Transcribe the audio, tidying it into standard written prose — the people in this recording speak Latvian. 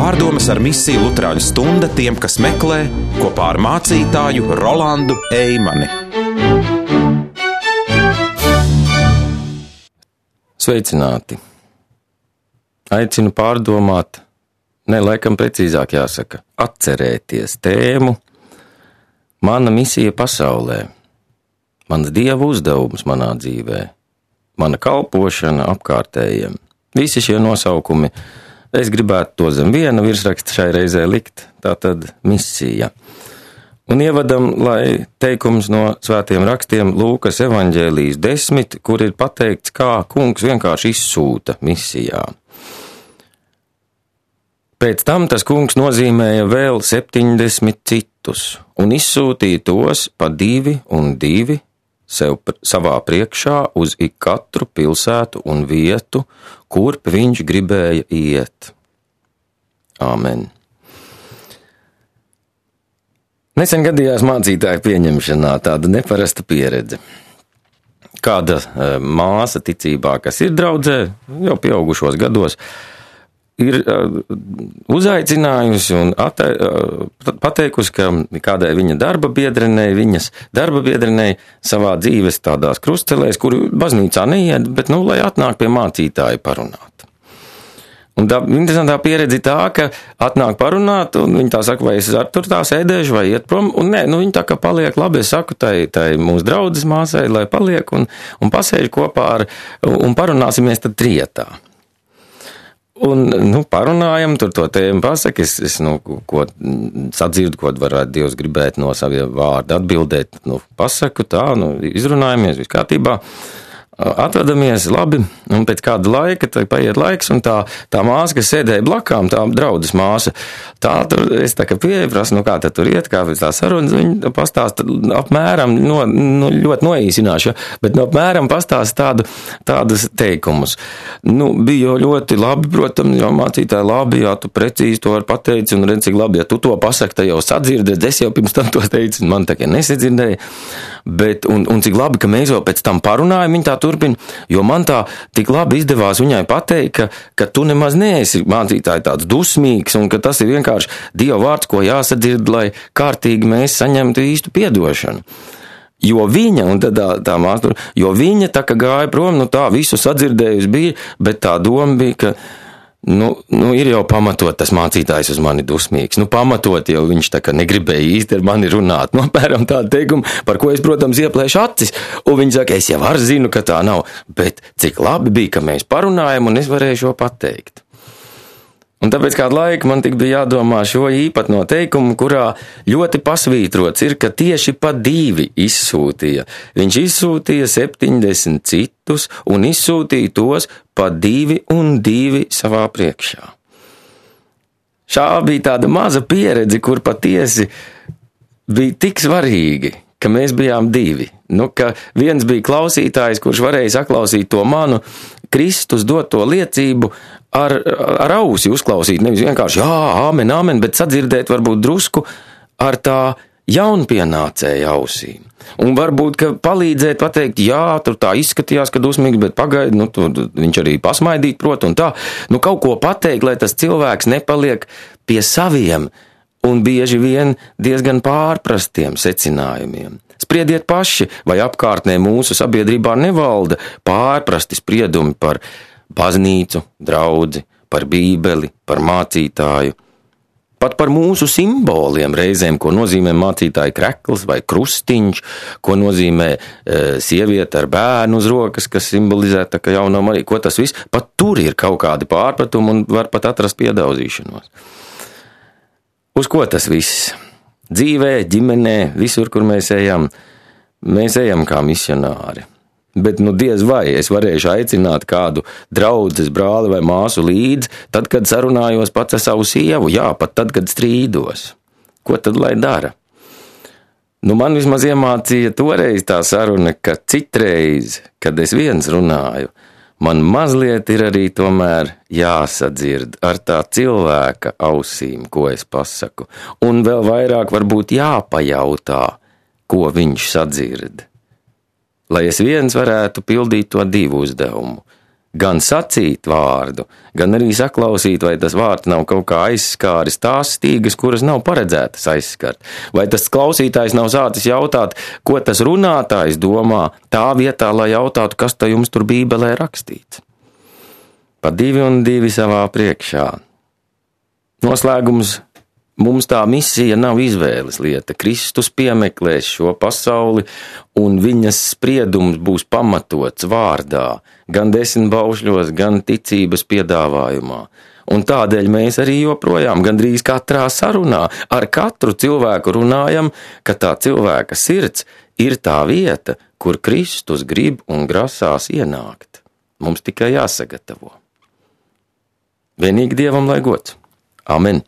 Pārdomas ar misiju Luterāņu stunda tiem, kas meklē, kopā ar mācītāju Rolandu Eimani. Sveicināti! Aicinu pārdomāt, laikam precīzāk jāsaka, atcerēties tēmu Mana misija pasaulē, mans Dieva uzdevums manā dzīvē, mana kalpošana apkārtējiem. Visi šie nosaukumi, es gribētu to zem viena virsraksta šai reizē likt, tātad misija. Un ievadam, lai teikums no svētiem rakstiem Lūkas evaņģēlijas 10, kur ir pateikts, kā kungs vienkārši izsūta misijā. Pēc tam tas kungs nozīmēja vēl 70 citus un izsūtīja tos pa 2 un 2 savā priekšā uz ikatru pilsētu un vietu, kurp viņš gribēja iet. Āmen. Nesen gadījās mācītāju pieņemšanā tāda neparasta pieredze. Kāda māsa ticībā, kas ir draudzē, jau pieaugušos gados, ir uzaicinājusi un pateikusi, ka kādai viņas darba biedrenei savā dzīves tādās krustcelēs, kuru baznīcā neiet, bet, lai atnāk pie mācītāja parunāt. Un tā interesantā pieredze tā, ka atnāk parunāt, un viņi tā saka, vai es tur tā sēdēšu, vai iet prom, un nē, viņi tā kā paliek labi, es saku tai mūsu draudzes māsai, lai paliek un pasēž kopā un parunāsimies tad trietā. Un, parunājam, tur to tēmu pasaka, es ko sadzirdu, ko varētu Dievs gribēt no saviem vārda atbildēt, pasaku tā, izrunājamies, viss kārtībā. Atvedamies labi, un pēc kāda laika, tad paiet laiks, un tā māsa, kas sēdēja blakām, tā draudzes māsa, es tā kā pieeju, prasu, kā tad tur iet, kā pēc tā sarunas, viņa pastāsta apmēram, ļoti noīsināšu, bet apmēram pastāsta tādus teikumus. Bija ļoti labi, protams, jo mācītāji labi, jā, tu precīzi to var pateici, un redz, cik labi, ja tu to pasaki, tad jau sadzirdēs, es jau pirms tam to teicu, un man tā kā nesadzirdēja, bet, un cik labi, ka mēs jau pēc tam parunājam, viņa tā turpina, jo man tā tik labi izdevās viņai pateikt, ka tu nemaz neesi mācītāji tāds dusmīgs un ka tas ir vienkārši Dieva vārds, ko jāsadzird, lai kārtīgi mēs saņemtu īstu piedošanu. Jo viņa, un tad tā māsa, jo viņa tā kā gāja prom, tā visu sadzirdējusi bija, bet tā doma bija, ka ir jau pamatot tas mācītājs uz mani dusmīgs. Pamatot jau viņš tā kā negribēja īsti ar mani runāt. Apmēram tādu teikumu, par ko es, protams, ieplēšu acis. Un viņi saka, es jau zinu, ka tā nav. Bet cik labi bija, ka mēs parunājam un es varēju šo pateikt. Un tāpēc kādu laiku man tik bija jādomā šo īpatno teikumu, kurā ļoti pasvītrots ir, ka tieši pa 2 izsūtīja. Viņš izsūtīja 70 citus un izsūtīja tos pa 2 un 2 savā priekšā. Šā bija tāda maza pieredze, kur patiesi bija tik svarīgi, ka mēs bijām 2. Ka viens bija klausītājs, kurš varēja saklausīt to manu Kristus doto liecību ar ausi uzklausīt, nevis vienkārši jā, āmen, āmen, bet sadzirdēt varbūt drusku ar tā jaunpienācēja ausīm. Un varbūt, ka palīdzēt pateikt, jā, tur tā izskatījās, ka dusmīgi, bet pagaidi, viņš arī pasmaidīt prot un tā. Kaut ko pateikt, lai tas cilvēks nepaliek pie saviem un bieži vien diezgan pārprastiem secinājumiem. Spriediet paši, vai apkārtnē mūsu sabiedrībā nevalda pārprasti spriedumi par baznīcu, draudzi, par bībeli, par mācītāju, pat par mūsu simboliem reizēm, ko nozīmē mācītāja krekls vai krustiņš, ko nozīmē sieviete ar bērnu uz rokas, kas simbolizē tā kā jaunā Marija, ko tas viss, pat tur ir kaut kādi pārpratumi un var pat atrast piedauzīšanos. Uz ko tas viss? Dzīvē, ģimenē, visur, kur mēs ejam kā misionāri. Bet diez vai es varēšu aicināt kādu draudzes brāli vai māsu līdzi, tad, kad sarunājos pats ar savu sievu, jā, pat tad, kad strīdos. Ko tad lai dara? Man vismaz iemācīja toreiz tā saruna, ka citreiz, kad es viens runāju, man mazliet ir arī tomēr jāsadzird ar tā cilvēka ausīm, ko es pasaku, un vēl vairāk varbūt jāpajautā, ko viņš sadzird. Lai es viens varētu pildīt to 2 uzdevumu. gan sacīt vārdu, gan arī saklausīt, vai tas vārds nav kaut kā aizskāris tās stīgas, kuras nav paredzētas aizskart. Vai tas klausītājs nav sācis jautāt, ko tas runātājs domā, tā vietā, lai jautātu, kas tā jums tur Bībelē rakstīts. Pa 2 un 2 savā priekšā. Noslēgums. Mums tā misija nav izvēles lieta. Kristus piemeklēs šo pasauli, un viņas spriedums būs pamatots vārdā, gan 10 baušļos, gan ticības piedāvājumā. Un tādēļ mēs arī joprojām gandrīz katrā sarunā ar katru cilvēku runājam, ka tā cilvēka sirds ir tā vieta, kur Kristus grib un grasās ienākt. Mums tikai jāsagatavo. Vienīgi Dievam lai gods. Amen.